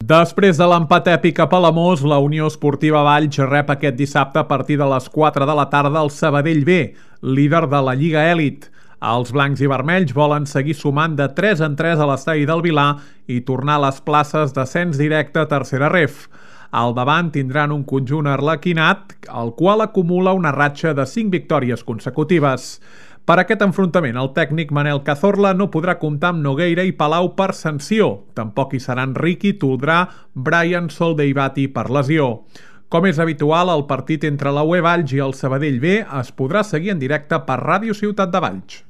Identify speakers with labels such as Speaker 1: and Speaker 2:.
Speaker 1: Després de l'empat èpic a Palamós, la Unió Esportiva Valls rep aquest dissabte a partir de les 4 de la tarda el Sabadell B, líder de la Lliga Elit. Els blancs i vermells volen seguir sumant de 3 en 3 a l'estadi del Vilar i tornar a les places d'ascens directe a tercera ref. Al davant tindran un conjunt arlequinat, el qual acumula una ratxa de 5 victòries consecutives. Per aquest enfrontament, el tècnic Manel Cazorla no podrà comptar amb Nogueira i Palau per sanció. Tampoc hi seran Riqui, Toldrà, Brian Soldeibati per lesió. Com és habitual, el partit entre la UE Valls i el Sabadell B es podrà seguir en directe per Ràdio Ciutat de Valls.